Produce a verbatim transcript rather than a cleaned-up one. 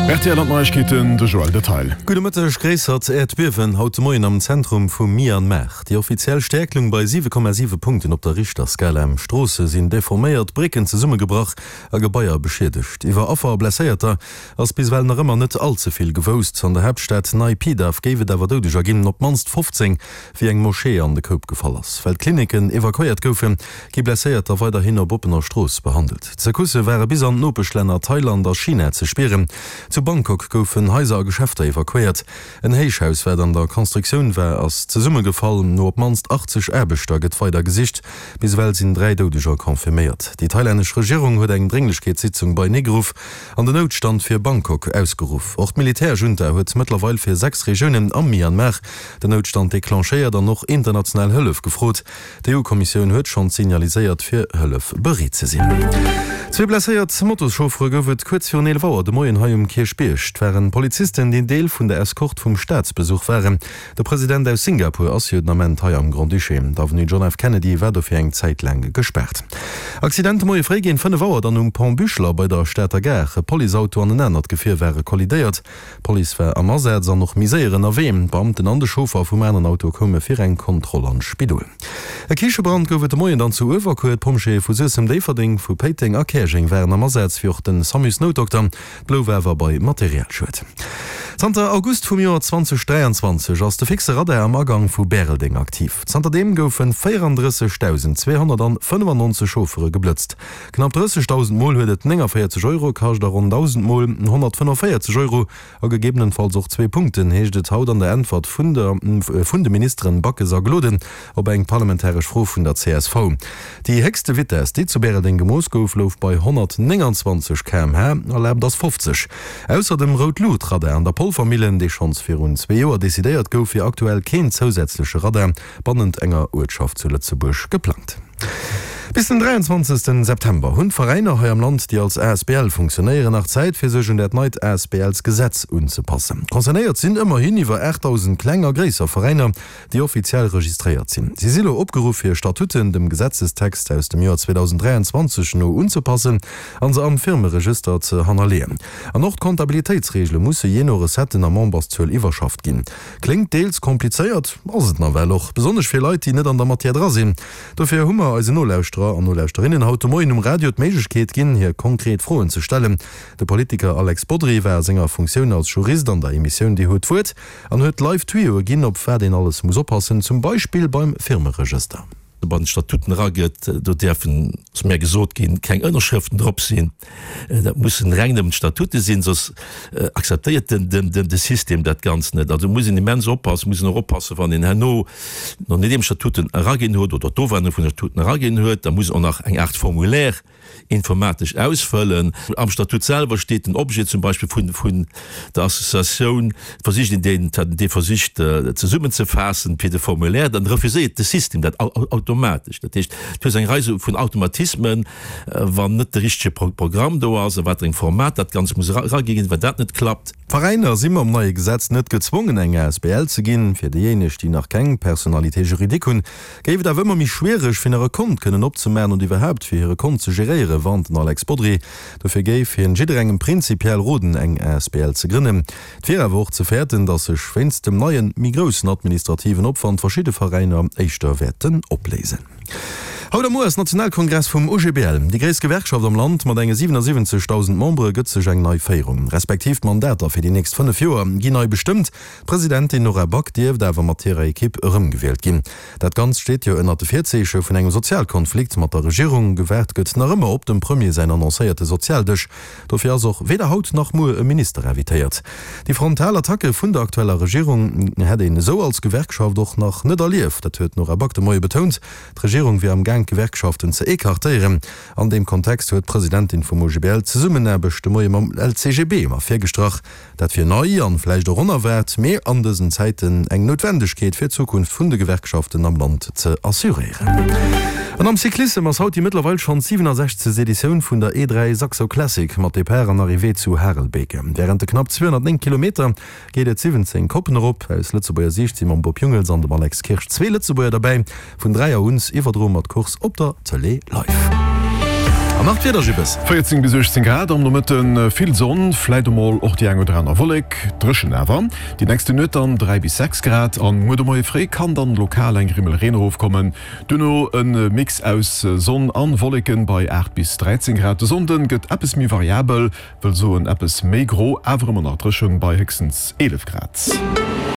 Rtl an d'Neiegkeeten, de Joël Detail. Gudde Mëtteg, Gréissert Äerdbiewen haut de Moien am Zentrum vu Myanmar. Déi offiziell Stäerkt loung bei siwe Komma siwe Punkten op der Richterskala. Stroosse sinn deforméiert, Brécken zesummegebrach a Gebaier beschiedegt. Iwwer Affer a Blesséierter ass bis ewell nach ëmmer net all ze vill gewousst. An der Haaptstad Naypyidaw géif et awer Doudeger ginn, op d'mannst fofzéng, wéi eng Moschee an de Koup gefall ass. Well d'Klinicken evakuéiert goufen, gi Blesséierter weiderhin op oppener Strooss behandelt. D'Secoussë ware bis an d'Nopeschlänner Thailand a China ze spieren. Zu Bangkok goufen Haiser a Geschäfter evakuéiert. En Héichhaus, wat an der Constructioun war, ass zesummegefall. No op d'mannst achtzeg Aarbechter gëtt weider gesicht. Bis ewell sinn dräi Doudeger confirméiert. Déi thailännesch Regierung huet eng Drénglechkeetssitzung beineegeruff an den Noutstand fir Bangkok ausgeruff. Och d'Militärjunta huet mëttlerweil fir sechs Regiounen am Myanmar den Noutstand declenchéiert an och international Hëllef gefrot. D'EU-Kommissioun huet schonns signaliséiert, fir Hëllef bereet ze sinn. Zwee blesséiert Motoschauffere gouf et kuerz virun eelef Auer de Moien hei um Kierchbierg. Et waren Polizisten, déi Deel vun der Eskort vum Staatsbesuch waren. De President aus Singapur ass jo den Ament hei am Grand-Duché. D'Avenue John F. Kennedy war dofir eng Zäit laang gespaart. Accident de Moie fréi géint fënnef Auer dann um Pont Buchler bei der Stater Gare. E Policeauto an en anert Gefier ware kollidéiert. D'Police war am Asaz an och méi séier ënnerwee. D'Beamten an de Chauffer vum aneren Auto koume fir eng Kontroll an d'Spidol. E Kichebrand gouf et de Moien dann zu Uewerkuer. D'Pompjeeë vu Suessem, Déifferdeng, vu Péiteng a Käerjeng waren am Asaz, wéi och de Samusnoutdokter. Et blouf awer bei Materialschued. Zanter August vum Joer zweitausenddräianzwanzeg ass de fixe Radar am Agang vu Bäreldeng aktiv. Zanterdeem goufe véierandrëssegdausend zweehonnertfënnefannonzeg Chauffere geblëtzt. Knapp drëssegdausend Mol huet et néngavéierzeg Euro kascht a ronn dausend Mol honnertfënnefvéierzeg Euro a gegebenenfalls och zwee Punkten, heescht et haut an der Äntwert vun der vun de Ministeren Backes a Gloden op eng parlamentaresch Fro vun der C S V. Déi héchste Vitess, déi zu Bäreldeng gemooss gouf, louch bei honnertnénganzwanzeg Kilometer pro Stonn, erlaabt ass fofzeg. Ausser dem Rout-Luucht-Radar an der Polvermillen, dee schonns virun zwee Joer decidéiert gouf, wier aktuell keen zousätzleche Radar bannent enger Uertschaft zu Lëtzebuerg geplangt. Bis den dräianzwanzegste September hunn d'Veräiner hei am Land, déi als A S B L funktionéieren, nach Zäit, fir sech un dat neit A S B Ls-Gesetz unzepassen. Concernéiert sinn ëmmerhin iwwer aachtdausend kleng a gréisser Veräiner, déi offiziell registréiert sinn. Si si lo opgeruff, hir Statuten dem Gesetzestext aus dem Joer zweetausenddräianzwanzeg no unzepassen a se am Firmeregëster ze hannerleeën. An och d'Kontabilitéitsreegele musse jee no Recetten a Memberszuel iwwerschafft ginn. Kléngt deels komplizéiert, ass et nawell och, besonnesch fir Leit, déi net an der Matière dra sinn. Dofir hu mer eisen Nolauschterer an Nolauschterinnen haut de Moien um Radio d'Méiglechkeet ginn, hir konkret Froen ze stellen. De Politiker Alex Bodry war a senger Funktioun als Jurist an der Emissioun Dir hutt d'Wuert an huet live Tuyauxe ginn, op wat een alles muss oppassen, zum Beispill beim Firmeregëster. Bei den Statuten eragëtt, do däerfen, ass mär gesot ginn, keng Ënnerschrëften drop sinn. Dat mussen reng nëmmen d'Statute sinn, soss akzeptéiert den, den, den, de System dat Ganzt net. Also muss een immens oppassen, muss een och oppassen, wann een herno, nodeem Statuten eraginn huet oder d'Ofännerung vun de Statuten eraginn huet, da muss een och nach eng Aart Formulaire informatesch ausfëllen. Am Statut selwer steet den Objet zum Beispill vun, vun der Associatioun, versicht een deen, dee versicht zesummenzefaassen fir de Formulaire, dann refuséiert de System dat automatesch. Dat heescht, du hues eng Rei sou vun Automatismen, wann net de richtege Programm do ass, a wat fir engem Format dat Ganzt muss eragi ginn, wann dat net klappt. D'Veräiner si mam neie Gesetz net gezwongen eng A S B L ze ginn. Fir déijéineg, déi nach keng Personnalité juridique hunn, géif et awer ëmmer méi schwiereg, fir nach e Kont kënnen opzemaachen und iwwerhaapt fir hire Kont ze geréieren, warnt den Alex Bodry. Dofir géif hien jidderengem prinzipiell roden, eng A S B L ze grënnen. Et wier awer och ze fäerten, datt sech wéinst dem neien, méi groussen administrativen Opwand verschidde Veräiner éischter wäerten opléisen. Haut a muer ass Nationalkongress vum O G B L. Déi gréisst Gewerkschaft am Land mat enge siwenasiwwenzegdausend Membere gëtt sech eng nei Féierung, respektiv d'Mandater fir déi nächst fënnef Joer ginn nei bestëmmt. D'Presidentin Nora Back dierft awer mat hirer Ekipp erëmgewielt ginn. Dat Ganzt steet jo ënnert de Virzeeche vun engem Sozialkonflikt mat der Regierung. Gewaart gëtt nach ëmmer op dem Premier säin annoncéierte Sozialdësch. Dofir ass och weder haut nach muer e Minister invitéiert. Déi frontal Attacke vun der aktueller Regierung hätt een esou als Gewerkschaft och nach net erlieft, dat huet d'Nora Back de Moie betount. D'Regierung wier am Gaang d'Gewerkschaften ze écartéieren. An deem Kontext huet d'Presidentin vum O G B L d'Zesummenaarbecht de Moie mam L C G B ervirgestrach. Dat wier nei an vläicht och onerwaart, mee an dësen Zäiten eng Noutwendegkeet fir d'Zukunft vun de Gewerkschaften am Land ze assuréieren. An am Cyclissem ass haut déi mëttlerweil schonn siwenasechzegst. Editioun vun der E dräi Saxo Classic mat Depart an Arrivée zu Harelbeke. Wärend de knapp zweehonnertnéng Kilometer geet et siwwenzéng Koppen erop. Aus Lëtzebuerger Siicht si mam Bob Jungels an dem Alex Kirsch zwee Lëtzebuerger derbäi. Vun dräi Auer un iwwerdroe mer d'Course op der Tëlee live. An nach d'Wieder, Jibbes. véierzéng bis uechtzéng Grad am Nomëtten, vill Sonn, vläit emol och déi eng oder aner Wollek, dréchen awer. Déi nächste Nuet dann dräi bis sechs Grad an muer de Moie fréi kann dann lokal eng Grimmel Reen erofkommen. Duerno e Mix aus Sonn an Wolleken bei aacht bis dräizéng Grad. De Sonnden gëtt eppes méi variabel, wëll soen eppes méi gro, awer ëmmer nach dréchen bei héchstens eelef Grad.